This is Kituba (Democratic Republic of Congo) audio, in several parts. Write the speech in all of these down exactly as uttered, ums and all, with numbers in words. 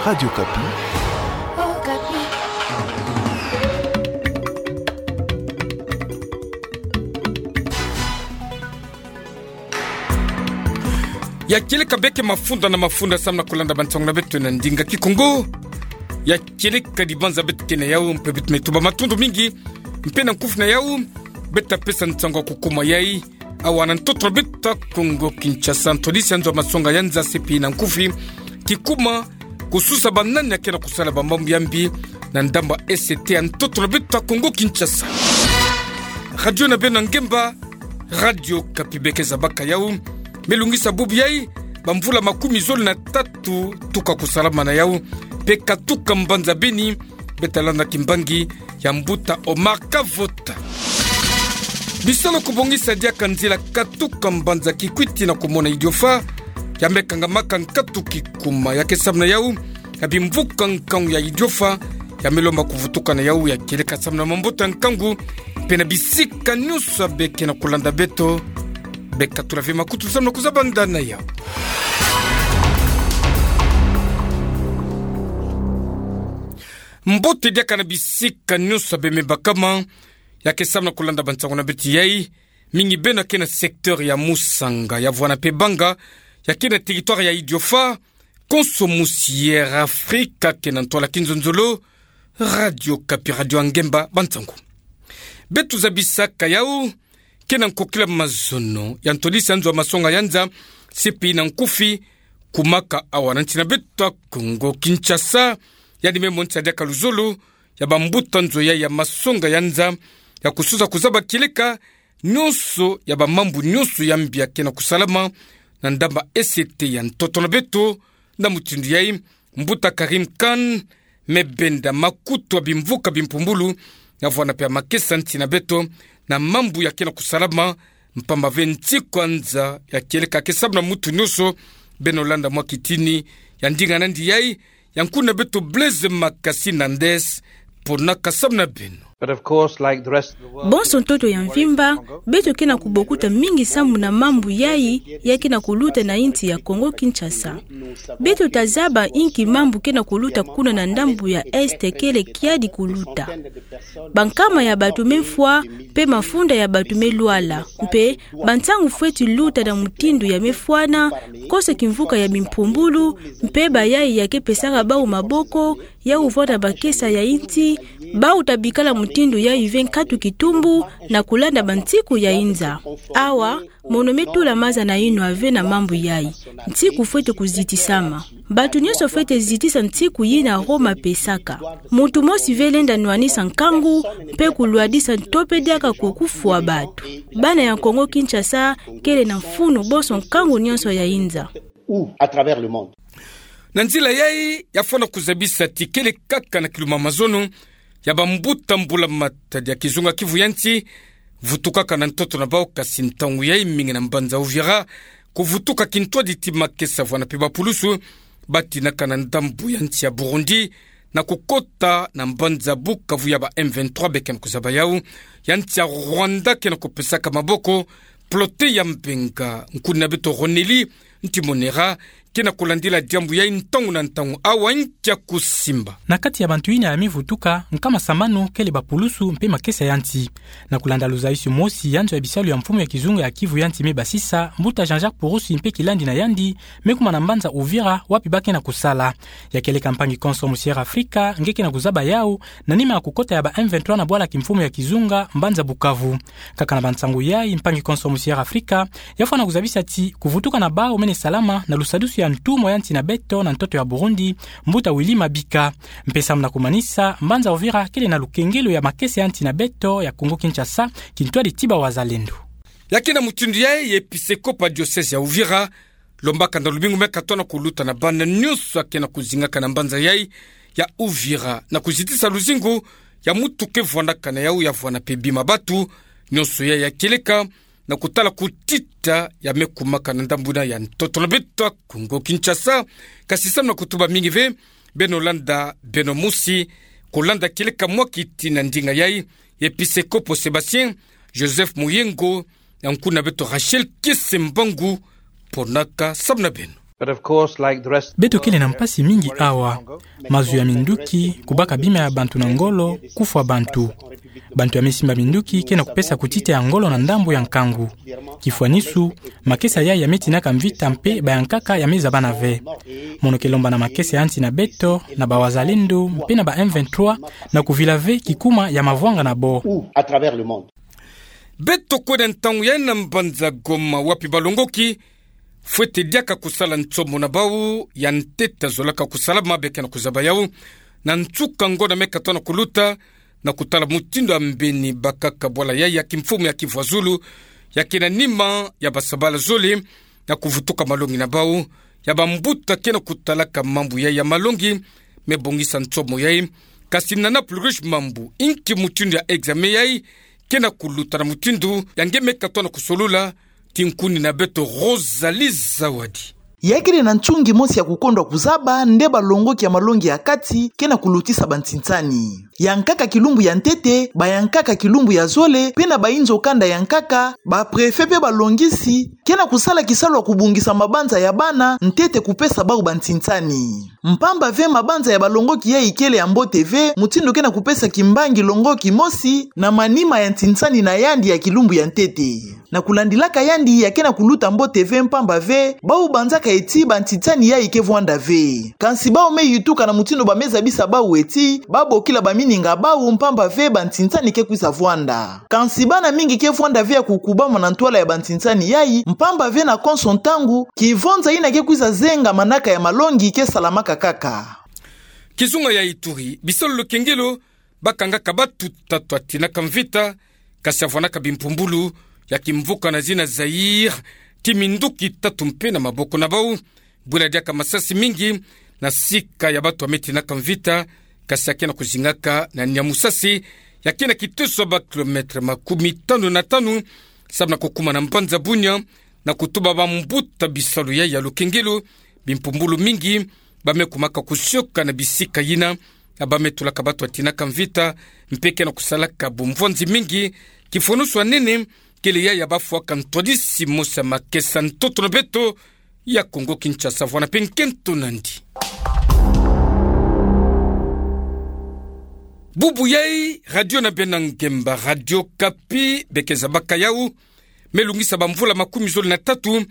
Radio Okapi. Ya kieleka beke mafunda na mafunda samu na kulanda bansangu na beto na ndinga Kikongo. Ya kieleka dibanza beto ke na yau, mpe beto me tuba matondo mingi, mpe na nkufi na yau, beto ta pesa nsangu ya kukuma yai awa na ntoto na beto ya Kongo Kinshasa. Ntwadisi ya nzo ya masonga ya nza, C P I na nkufi, kikuma kususa banani ya ke na kusala bamambu ya mbi na ndambu ya E C T ya ntoto na beto ya Kongo Kinshasa. Radio na beno ya ngemba, Radio Okapi, beke zabaka yau, me lungisa bubu yai bamvula makumi zole na tatu tuka kusalama na yau, mpe katuka mbanza Beni, beto ta landa kimbangi ya mbuta Omar Kavota. Bisalu kubongisa diaka nzila katuka mbanza Kikwit tii na kumona Idiofa, ya me kangamaka nkatu kikuma. Ya ke samu na yau, ya bimvuka nkangu ya Idiofa, ya me lomba kuvutuka na yau. Ya kieleka samu na mabota nkangu, mpe na bisika nyonso ya beke na kulanda beto, beka tula ve makutu samu na kuzabanda na yau. Mbote diaka na bisika nyonso ya bembe bakama, ya ke samu na kulanda bansangu na beto yai, mingi beno ya ke na secteur ya Musanga, ya vwanda mpe Banga, ya ke na territoire ya Idiofa, konso mosi Air Afrika ke na ntwala kinzonzolo. Radio Okapi, radio ya ngemba, bansangu. Beto zabisaka yau, ke na nkokila mazono ya ntwadisi ya nzo ya masonga ya nza, C P I na nkufi, kumaka awa na nsi na beto ya Kongo Kinshasa, yandi me monisa diaka luzolo ya bambuta nzo yai ya masonga ya nza, ya kususa kuzaba kieleka nyonso ya bamambu nyonso ya mbi ya ke na kusalama na ndambu ya E C T ya ntoto na beto. Na mutindu yai, mbuta Karim Khan me benda makutu ya bimvuka bimpumbulu, ya vwanda mpe ya makesa nsi na beto na mambu ya ke na kusalama, mpamba ve nsiku ya nza ya kieleka ke samu na mutu nyonso. Beno landa mwa kitini ya ndinga nandi yai, ya nkuna beto Blaise Makasi Nandes, pona ka samu na beno. But of course, like the rest of the world, bonso ntoto ya mvimba, beto ke na kubokuta mingi samu na mambu yai ya ke na kuluta na insi ya Kongo Kinshasa. Beto ta zaba inki mambu ke na kuluta kuna na ndambu ya Est kele kiadi kuluta. Bankama ya bato me mfwa, mpe mafunda ya bato me lwala, mpe bansangu fweti luta na mutindu ya me fwana, kosa kimvuka ya bimpumbulu, mpe bayai ya ke pesaka bau maboko ya uvwanda makesa ya insi, bau ta bikala mutindu yai ve nkatu kitumbu na kulanda bansiku ya inza. Awa, mono me tula maza na yinwa ve na mambu yai. Nsiku fweti kuzitisama. Bato nyonso fweti zitisa nsiku yina Roma apesaka. Mutu mosi ve lenda nwanisa nkangu, mpe kulwadisa nto mpe diaka ku kufwa bato. Bana ya Kongo Kinshasa kele na mfunu bonso nkangu nyonso ya inza. Ou à travers le monde. Na nzila yai, ya fwana kuzabisa ti kele kaka na kiluma mazono ya bambuta mbula-matadi ya kizunga Kivu ya nsi vutukaka na ntoto na bau, kasi ntangu yai mingi na mbanza Uvira, kuvutuka kintwadi ti makesa vwanda mpe bapulusu batinaka na ndambu ya nsi ya Burundi, na kukota na mbanza Bukavu ya ba M vingt-trois beke na kuzaba yau, ya nsi ya Rwanda ke na kupesaka maboko. Plote ya Mbenga, nkuni na beto Roneli Ntimonera ke na kulandila diambu yai ntangu na ntangu. Awa nkia kusimba. Na kati ya bantu yina ya me vutuka, nkama sambanu kele bapulusu mpe makesa ya nsi. Na kulanda luzayisi mosi ya nzo ya bisalu ya mfumu ya kizunga ya Kivu ya nsi me basisa, mbuta Jean-Jacques Purusi mpe kilandi na yandi, me kuma na mbanza Uvira, wapi ba ke na kusala. Ya kieleka mpangi konso mosi Air Afrika nge ke na kuzaba yau, na nima ya kukota ya ba M vingt-trois na bwala kimfumu ya kizunga mbanza Bukavu. Kaka na bansangu yai, mpangi konso mosi Air Afrika ya fwana kuzabisa ti kuvutuka na bau mene salama na lusadusu ya ntumwa ya nsi na beto na ntoto ya Burundi, mbuta Willy Mabika. Mpe samu na kumanisa, mbanza Uvira kele na lukengelo ya makesa ya nsi na beto ya Kongo Kinshasa, kintwadi ti bawazalendo. Ya ke na mutindu yai, episekopo ya diocèse ya Uvira lombaka na lumingu me katona kuluta na bana nyonso ya ke na kuzingaka na mbanza yai ya Uvira na kuzitisa luzingu ya mutu ke vwandaka na yau, ya vwanda mpe bima batu. Nyonso yai ya kieleka na kutala kutita ya me kumaka na ndambu yina ya ntoto na beto ya Kongo Kinshasa. Kasi samu na kutuba mingi ve, beno landa, beno musi kulanda kieleka mwa kiti na ndinga yai, episekopo Sébastien Joseph Muyengo, ya nkuni na beto Rachel Kiese Mbangu, ponaka samu na beno. But of course, like the rest, beto kele na mpasi mingi awa. Mazu ya minduki, kubaka bima ya bantu na ngolo, kufwa bantu. Bantu ya me simba minduki ke na kupesa kutita ya ngolo na ndambu ya nkangu. Kifwanisu, makesa yayi ya me tinaka mvita mpe bayankaka ya me zabana ve. Mono ke lomba na makesa ya nsi na beto, na bawazalendo, mpe na ba M vingt-trois, na kuvila ve kikuma ya mavwanga na bo. Beto kwenda ntangu yayi na mbanza Goma wapi balongoki fwete diaka kusala nsomo na bau ya ntete zolaka kusala mabe ke na kuzaba yau, na nsuka ngonda me katona kuluta, na kutala mutindu ya mbeni bakaka bwala yayi ya kimfumu ya Kivu ya Zulu, ya ke na nima ya basabala zole, na kuvutuka malongi na bau, ya bambuta ke na kutalaka mambu yayi ya malongi, me bongisa nsomo yayi, kasi na na plus riche mambu, inki mutindu ya examen yayi ke na kuluta na mutindu, ya nge me katona kusolula, kinkuni na beto Rosalie Zawadi. Ya kele na nsungi mosi ya kukondwa kuzaba nde balongoki ya malongi ya kati ke na kulutisa bantinsani. Yankaka kilumbu ya ntete, bayankaka kilumbu ya zole, mpe na bainzo kanda yankaka, ba préfet mpe balongisi, ke na kusala kisalu ya kubongisa mabanza ya bana ntete kupesa bau bantinsani. Mpamba ve mabanza ya balongoki yayi kele ya mbote ve, mutindu ke na kupesa kimbangi longoki mosi na manima ya ntinsani na yandi ya kilumbu ya ntete. Na kulandilaka yandi ya ke na kuluta mbote ve mpamba ve, bau banzaka eti bantinsani yayi ke vwanda ve. Kansi bau me yituka na mutindu ba me zabisa bau eti, ba bokila bamininga bau mpamba ve bantinsani ke kwiza vwanda. Kansi bana mingi ke vwanda ve ya kukubama na ntwala ya bantinsani yayi, mpamba ve na konso ntangu, kivonza yina ke kwiza zenga manaka ya malongi ke salamaka kaka. Kizunga ya Ituri, bisalu lukengelo, bakangaka batu tatu ya tinaka mvita, kasi ya vwanaka bimpumbulu ya kimvuka na zina Zaïre, ti minduki tatu mpe na maboko na bau, bwela diaka masasi mingi, na sika ya batu ya me tinaka mvita, kasi ya ke na kuzingaka na niamusasi, ya ke na kiteso ya ba kilomètre makumi tanu na tanu, samu na kukuma na mbanza Bunia, na kutuba bambuta bisalu yayi ya lukengelo, bimpumbulu mingi, ba me kumaka kusioka na bisika yina, na ba me tulaka batu ya tinaka mvita, mpe ke na kusalaka bumvwanzi mingi, kifwanusu ya nene, kele yayi ya bafwaka ntwadisi mosi ya makesa ntoto na beto, ya Kongo Kinshasa, vwanda mpe nkento nandi. Bubu yayi, radio na bena ngemba, Radio Okapi, beke zabaka yau, me lungisa bamvula makumi zole na tatu,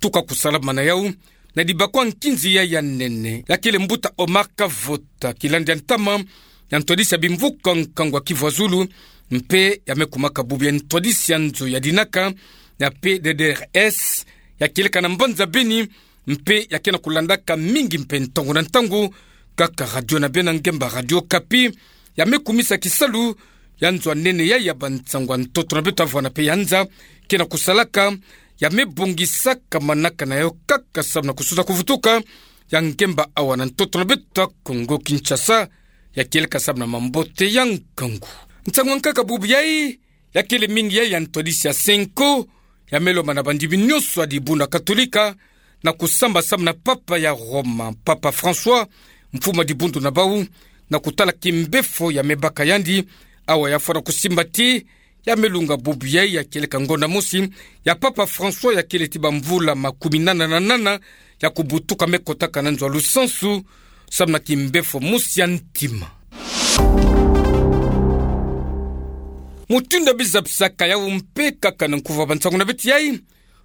tuka kusalama na yau, na dibakwa nkinzi yayi ya nene, ya kele mbuta Omar Kavota, kilandi ya ntama, ya ntwadisi ya bimvuka nkangu ya Kivu ya Zulu, mpe ya me kumaka bubu ya ntwadisi ya nzo ya dinaka, ya P D D R S, ya kieleka na mbanza Beni, mpe ya ke na kulandaka mingi mpe ntangu na ntangu, kaka radio na bena ngemba Radio Okapi, ya me kumisa kisalu, ya nzo ya nene yayi ya bansangu ya ntoto na beto ya vwanda mpe ya nza, ke na kusalaka, ya me bongisaka manaka na yau kaka samu na kususa kuvutuka, ya ngemba awa na ntoto na beto ya Kongo Kinshasa, ya kieleka samu na mambote ya nkangu. Nsangu ya nkaka bubu yayi, ya kele mingi yayi ya ntwadisi ya Cenco, ya me lomba na bandimi nyonso ya dibundu ya Katolika, na kusamba samu na Papa ya Roma, Papa François, mfumu ya dibundu na bau, na kutala kimbefo ya me baka yandi, awa ya fwana kusimba ti, ya me lunga bubu yayi ya kieleka ngonda mosi, ya Papa François ya kele ti bamvula makumi nana na nana, ya kubutuka me kotaka na nzo ya lusansu, samu na kimbefo mosi ya ntima. Mutindu ya bizapisaka yau mpe kaka na nkuvu ya bansangu na beto yayi,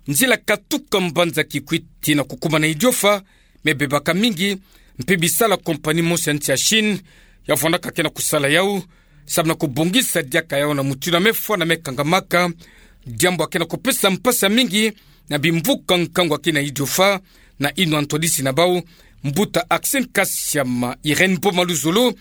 nzila katuka mbanza Kikwit tii na kukuma na Idiofa, me bebaka mingi, mpe bisalu ya compagnie mosi ya nsi ya Chine, ya vwandaka ke na kusala yau, samu na kubongisa diaka yau na mutindu ya me fwana me kangamaka, diambu ya ke na kupesa mpasi ya mingi, na bimvuka nkangu ya ke na Idiofa, na inwa ntwadisi na bau, mbuta Axine Kasiama, Irène Boma Luzolo,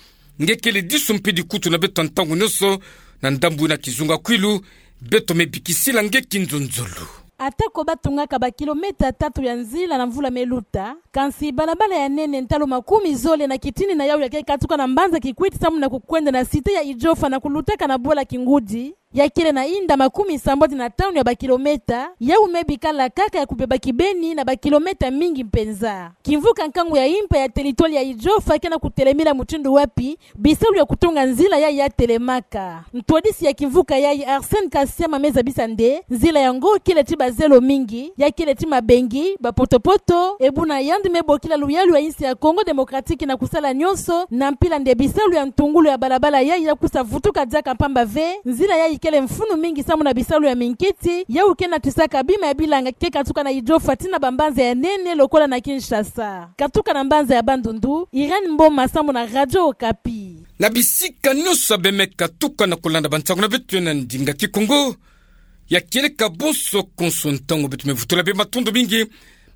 nge kele disu mpe dikutu na beto ya ntangu nyonso, na ndambu yina kizunga kwilu, beto me bikisila nge kinzonzolo. Atako batungaka ba kilomètre tatu ya nzila na mvula me luta, kansi balabala ya nene ntalu makumi zole na kitini na yau ya ke katuka na mbanza Kikwit samu na kukwenda na cité ya Idiofa na kulutaka na bwala Kingudi, Ya kele na inda makumi sambwadi na tanu ya bakilometa, yau me bikala kaka ya kubeba kibeni na bakilometa mingi mpenza. Kimvuka nkangu ya impa ya teritware ya Idjofa kena kutelemila mutindu wapi bisalu ya kutunga nzila yayi ya telemaka. Ntwadisi ya kimvuka yayi Arsène Kasiama me zabisa nde nzila yango kele ti bazelo mingi, ya kele ti mabengi, bapotopoto, ebuna yandi me bokila luyalu ya insi ya Congo Démocratique na kusala nyonso na mpila nde bisalu ya ntungulu ya balabala yayi ya kusa vutuka diaka mpamba ve nzila yayi kele mfunu mingi samu na bisalu ya minkiti, yau ke natisaka bima ya bilanga ke katuka na Idjofa tii na bambanza ya nene lokola na Kinshasa. Katuka na mbanza ya Bandundu, Irène Mboma samu na Radio Okapi. Na bisika nyonso bie me katuka na kulanda bansangu na beto na ndinga Kikongo, ya kieleka bonso konso ntangu beto me vutula bie matondo mingi.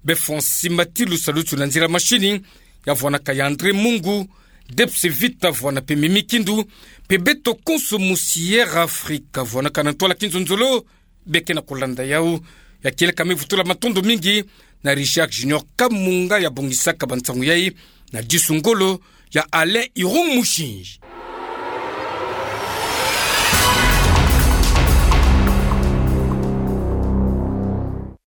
Bie Francis Matilu salutu na nzila mashini, ya vwanaka ya André Mungu, Debs Vita vwana mpe Mimi Kindu, mpe beto konso mu Sierra Africa vwanaka na ntwala kinzonzolo, bie ke na kulanda yau. Ya kieleka me vutula matondo mingi na Richard Junior Kamunga ya bongisaka bansangu yayi, na disu ngolo ya Alain Irung Mushinji.